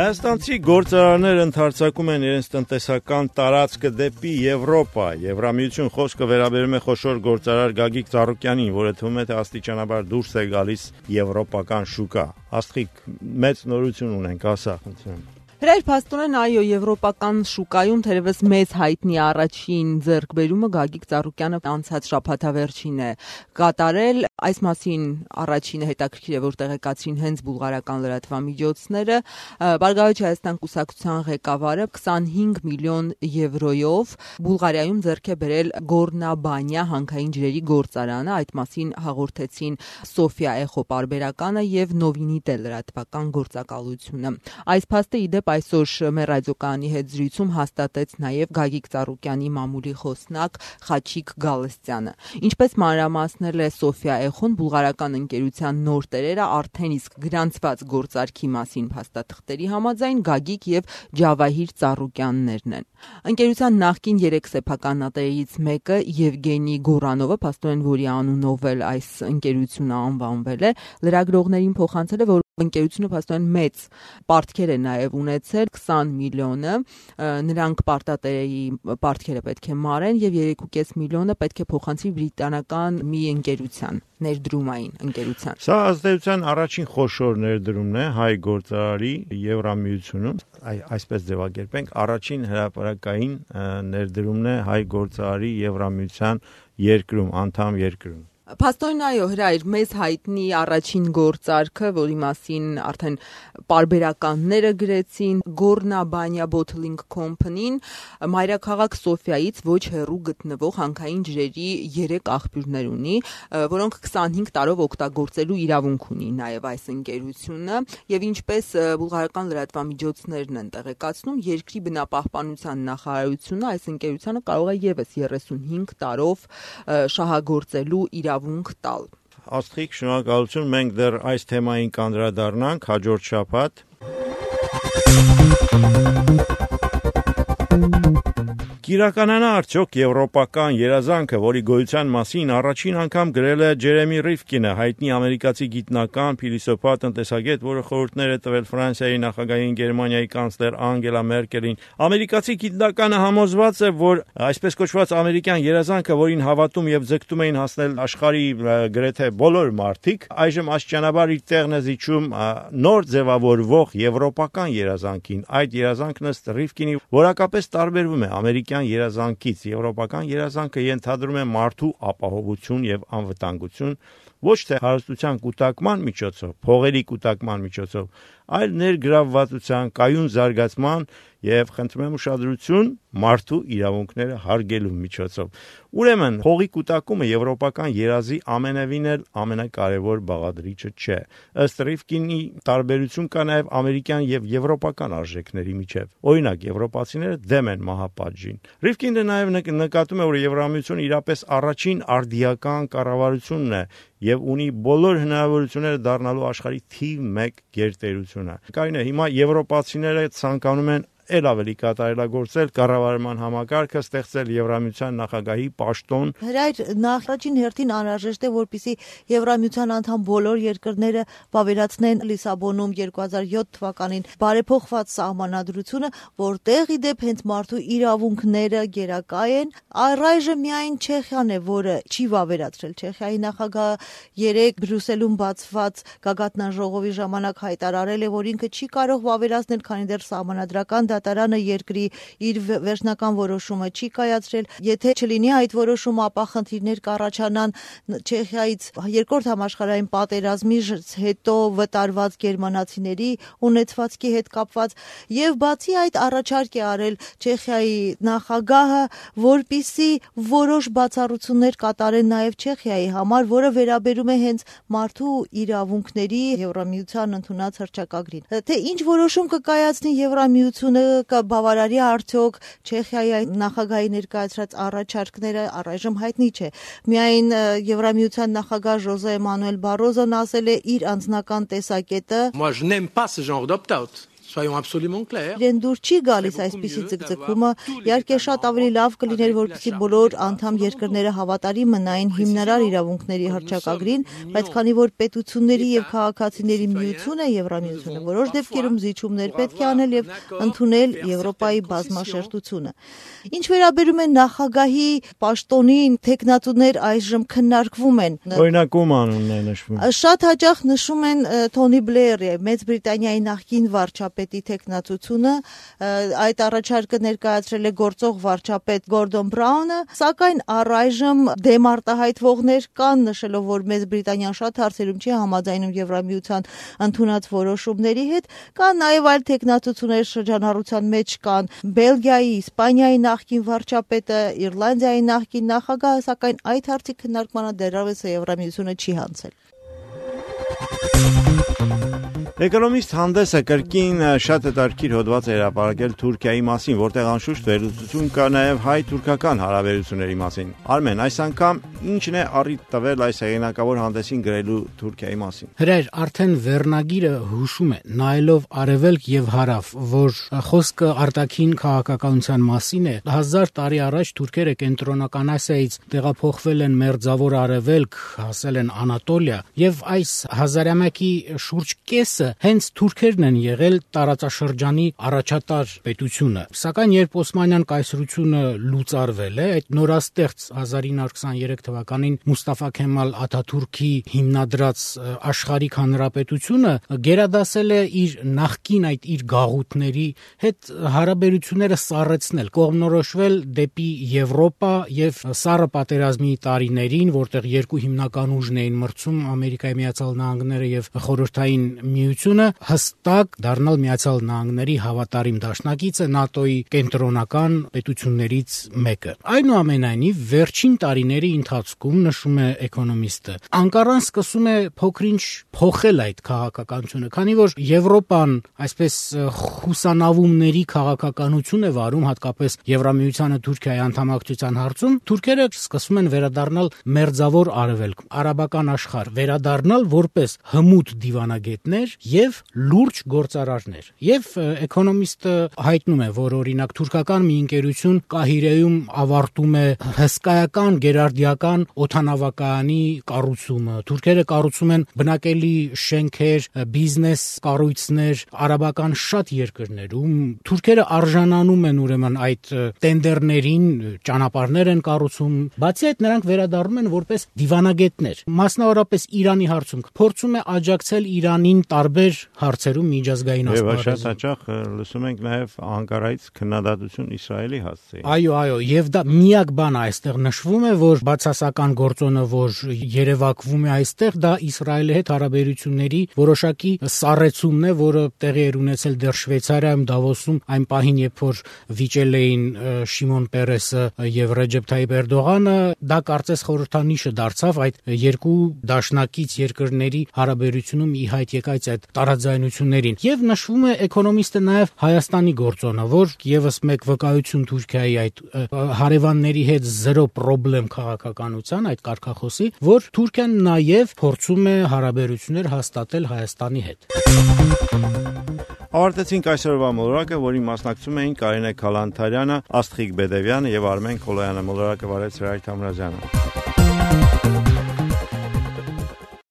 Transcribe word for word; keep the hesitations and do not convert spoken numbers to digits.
Հայաստանցի գործարարներ ընդարձակում են իրենց տնտեսական տարածքը դեպի Եվրոպա։ Եվրամիություն խոսքը վերաբերում է խոշոր գործարար Գագիկ Ծառուկյանին, որը թվում է թե աստիճանաբար դուրս է գալիս եվրոպական շուկա։ Աստղիկ, մեծ նորություն ունենք, ասա, խնդրեմ։ Հրայր փաստորեն այո, եվրոպական շուկայում թերևս մեծ հայտնի առաջին ձեռքբերումը Գագիկ Ծառուկյանը անցած շաբաթավերջին է կատարել։ Այս մասին առաջինը հետաքրքիր է, որ տեղեկացրին հենց բուլղարական լրատվամիջոցները։ Բարգավաճ Հայաստան կուսակցության ղեկավարը քսանհինգ միլիոն եվրոյով Բուլղարիայում ձեռք է բերել Գորնաբանյա հանքային ջրերի գործարանը։ Այդ մասին հաղորդեցին Սոֆիա Էխո պարբերականը եւ Նովինիտե լրատվական գործակալությունը։ Այս փաստը ի դեպ այսօր մեր ռադիոկայանի հետ զրույցում հաստատեց նաև Գագիկ Ծառուկյանի մամուլի խոսնակ Խաչիկ Գալստյանը։ Ինչպես մանրամասնել է Սոֆիա Էխոն, բուլղարական ընկերության նոր տերերը արդեն իսկ գրանցված գործարքի մասին փաստաթղթերի համաձայն Գագիկ եւ Ջավահիր Ծառուկյաններն են։ Ընկերության նախկին երեք սեփականատերերից մեկը Եվգենի Գորանովը, փաստորեն որի անունով էլ այս ընկերությունը անվանվել է, լրագրողներին փոխանցել է, որ ընկերությունը փաստորեն մեծ պարտքեր է նաև ունեցել, քսան միլիոնը, նրանք պարտատերերի պարտքերը պետք է մարեն եւ երեք կόμma պենս միլիոնը պետք է փոխանցի բրիտանական մի ընկերության, ներդրումային ընկերության։ Սա ազդեցության առաջին խոշոր ներդրումն է հայ գործարարի Եվրամիությունում, այսպես ձևակերպենք, առաջին հրապարակային ներդրումն է հայ գործարարի Եվրամիության երկրում, անդամ երկրում։ Փաստորեն այո, Հրայր, մեզ հայտնի առաջին գործարքը, որի մասին արդեն պարբերականները գրեցին, Գորնաբանյա Bottling Company-ն մայրաքաղաք Սոֆիայից ոչ հեռու գտնվող հանքային ջրերի երեք աղբյուրներ ունի, որոնք քսանհինգ տարով օգտագործելու իրավունք ունի նաև այս ընկերությունը, եւ ինչպես բուլղարական լրատվամիջոցներն են տեղեկացնում, երկրի բնապահպանության նախարարությունը այս ընկերությանը կարող է եւս երեսունհինգ տարով շահագործելու իրավունք տալ։ Աստղիկ, շնորհակալություն, մենք դեռ այս թեմային կանդրադառնանք հաջորդ շաբաթ։ Կիրականանա արդյոք եվրոպական երազանքը, որի գոյության մասին առաջին անգամ գրել է Ջերեմի Ռիվկինը, հայտնի ամերիկացի գիտնական, փիլիսոփա, տնտեսագետ, որը խորհուրդներ է տվել Ֆրանսիայի նախագահային, Գերմանիայի կանցլեր Անգելա Մերկելին։ Ամերիկացի գիտնականը համոզված է, որ այսպես կոչված ամերիկյան երազանքը, որին հավատում եւ ձգտում էին հասնել աշխարհի գրեթե բոլոր մարդիկ, այժմ աստիճանաբար իր տեղն է զիջում նոր ձևավորվող եվրոպական երազանքին։ Այդ երազանքն ըստ Ռիվկինի որակապես տարբերվում է ամերիկյան երազանքից։ Եվրոպական երազանքը ենթադրում է մարդու ապահովություն եւ անվտանգություն ոչ թե հարստության կուտակման միջոցով, փողերի կուտակման միջոցով, այլ ներգրավվածության, կայուն զարգացման եւ խնդրում եմ ուշադրություն մարդու իրավունքները հարգելու միջոցով։ Ուրեմն, փողի կուտակումը եվրոպական երազի ամենևին էլ ամենակարևոր բաղադրիչը չէ։ Ըստ Ռիվկինի տարբերություն կա նաեւ ամերիկյան եւ եվրոպական արժեքների միջեւ։ Օրինակ, եվրոպացիները դեմ են մահապատժին։ Ռիվկինը նաեւ նկատում է, որ Եվրամիությունը իրապես առաջին արդիական կառավարությունն է եւ ունի բոլոր հնարավորությունները դառնալու աշխարհի թիվ մեկ գերտերությունը։ Կարինե, հիմա եվրոպացիները ցանկանում են էլ ավելի կատարելագործել կառավարման համակարգը, ստեղծել Եվրամիության նախագահի պաշտոն։ Հրայր, նախարարին հերթին անհրաժեշտ է, որպեսզի Եվրամիության անդամ բոլոր երկրները վավերացնեն Լիսաբոնում երկու հազար յոթ թվականին բարեփոխված սահմանադրությունը, որտեղ ի դեպ հենց մարդու իրավունքները գերակա են։ Առայժմ միայն Չեխիան է, որը չի վավերացրել։ Չեխիայի նախագահը երեք Բրյուսելում բացված գագաթնաժողովի ժամանակ հայտարարել է, որ ինքը չի կարող վավերացնել, քանի դեռ սահմանադրական դատարանը երկրի իր վերջնական որոշումը չի կայացրել։ Եթե չլինի այդ որոշումը, ապա խնդիրներ կառաջանան Չեխիայից երկրորդ համաշխարհային պատերազմի հետո վտարված գերմանացիների ունեցվածքի հետ կապված, եւ բացի այդ առաջարկ է արել Չեխիայի նախագահը, որպիսի որոշ բացառություններ կատարեն նաեւ Չեխիայի համար, որը վերաբերում է հենց մարդու իրավունքների Եվրամիության ընդունած հռչակագրին։ Թե ինչ որոշում կկայացնի Եվրամիությունը, կբավարարի արդյոք Չեխիայի նախագահի ներկայացրած առաջարկները, առայժմ հայտնի չէ։ Միայն Եվրամիության նախագահ Ժոզե Մանուել Բարոզոն ասել է իր անձնական տեսակետը. Moi je n'aime pas ce genre d'opt-out. Իրեն դուր չի գալիս այսպիսի ձգձգումը, իհարկե շատ ավելի լավ կլիներ, որպեսզի բոլոր անդամ երկրները հավատարիմ մնային հիմնարար իրավունքների հռչակագրին, բայց քանի որ պետությունների եւ քաղաքացիների միությունը Եվրամիությունը որոշ դեպքերում զիջումներ պետք է անել եւ ընդունել Եվրոպայի բազմաշերտությունը։ Ինչ վերաբերում է նախագահի պաշտոնին, տեխնատուներ այժմ քննարկվում են։ Օրինակում անունն է նշվում։ Շատ հաճախ նշում են Թոնի Բլեյերի, Մեծ Բրիտանիայի նախկին վարչապետի տեխնատությունը, այդ առաջարկը ներկայացրել է գործող վարչապետ Գորդոն Բրաունը, սակայն առայժմ դեմ արտահայտվողներ կան, նշելով, որ Մեծ Բրիտանիան շատ հարցերում չի համաձայնում Եվրամիության ընդունած որոշումների հետ, կան նաև այլ տեխնատություններ շրջանառության մեջ կան Բելգիայի, Իսպանիայի նախկին վարչապետը, Իռլանդիայի նախկին նախագահը, սակայն այդ հարցի քննարկմանը դեռևս Եվրամիությունը չի հանձնել։ Էկոնոմիստ հանդեսը կրկին շատ հետաքրքիր հոդված է հրապարակել Թուրքիայի մասին, որտեղ անշուշտ վերլուծություն կա նաև հայ-թուրքական հարաբերությունների մասին։ Արմեն, այս անգամ ի՞նչն է առիթ տվել այս հեղինակավոր հանդեսին գրելու Թուրքիայի մասին։ Հրեր, արդեն վերնագիրը հուշում է, նայելով արևելք եւ հարավ, որ խոսքը արտաքին քաղաքականության մասին է։ Հազար տարի առաջ թուրքերը կենտրոնական Ասիայից տեղափոխվել են մերձավոր արևելք, հասել են Անատոլիա, եւ այս հազարամյակի շուրջ կեսը հենց թուրքերն են եղել տարածաշրջանի առաջատար պետությունը։ Սակայն երբ Օսմանյան կայսրությունը լուծարվել է, այդ նորաստեղծ հազար ինը հարյուր քսաներեք թվականին Մուստաֆա Քեմալ Աթաթուրքի հիմնադրած աշխարհիկ հանրապետությունը գերադասել է իր նախկին այդ իր գաղութների հետ հարաբերությունները սառեցնել, կողմնորոշվել դեպի Եվրոպա եւ Սառը պատերազմի տարիներին, որտեղ երկու հիմնական ուժն էին մրցում Ամերիկայի Միացյալ Նահանգները եւ Խորհրդային Միությունը, հստակ դառնալ Միացյալ Նահանգների հավատարիմ դաշնակիցը ՆԱՏՕ-ի կենտրոնական պետություններից մեկը։ Այնուամենայնիվ, վերջին տարիների ընթացքում, նշում է էկոնոմիստը, Անկարան սկսում է փոքրինչ փոխել այդ քաղաքականությունը, քանի որ Եվրոպան այսպես խուսանավումների քաղաքականություն է վարում, հատկապես Եվրամիությանը Թուրքիայի անդամակցության հարցում, թուրքերը սկսում են վերադառնալ մերձավոր արևելք, արաբական աշխարհ, վերադառնալ որպես հմուտ դիվանագետներ եւ լուրջ գործարարներ։ Եվ էկոնոմիստը հայտնում է, որ օրինակ թուրքական մի ընկերություն Կահիրեում ավարտում է հսկայական գերարդիական օդանավակայանի կառուցումը։ Թուրքերը կառուցում են բնակելի շենքեր, բիզնես կառույցներ արաբական շատ երկրներում։ Թուրքերը արժանանում են ուրեմն այդ տենդերներին, ճանապարհներ են կառուցում։ Բացի այդ, նրանք վերադառնում են որպես դիվանագետներ։ Մասնավորապես Իրանի հարցում փորձում է աջակցել Իրանին տարբեր հարցերում միջազգային ասպարեզում։ Եվ շատ հաճախ լսում ենք նաև Անկարայից քննադատություն Իսրայելի հասցեին։ Այո, այո, եւ դա միակ բանը այստեղ նշվում է, որ բացասական գործոնը, որ երևակվում է այստեղ, դա Իսրայելի հետ հարաբերությունների որոշակի սառեցումն է, որը տեղի էր ունեցել դեռ Շվեյցարիայում Դավոսում այն պահին, երբ որ վիճել էին Շիմոն Պերեսը եւ Ռեջեփ Թայիփ Էրդողանը, դա կարծես խորհրդանիշը դարձավ այդ երկու դաշնակից երկրների հարաբերությունում ի հայտ եկած այդ տարաձայնություններին։ Եվ նշվում է էկոնոմիստը նաև Հայաստանի գործոնը, որ եւս մեկ վկայություն Թուրքիայի այդ հարևանների հետ զրո պրոբլեմ քաղաքականության այդ կարգախոսի, որ Թուրքիան նաև փորձում է հարաբերություններ հաստատել Հայաստանի հետ։ Ավարտեցինք այսօրվա մոլորակը, որին մասնակցում էին Կարինե Քալանթարյանը, Աստղիկ Բեդևյանը եւ Արմեն Քոլոյանը։ Մոլորակը վարեց Հրայր Թամրազյանը։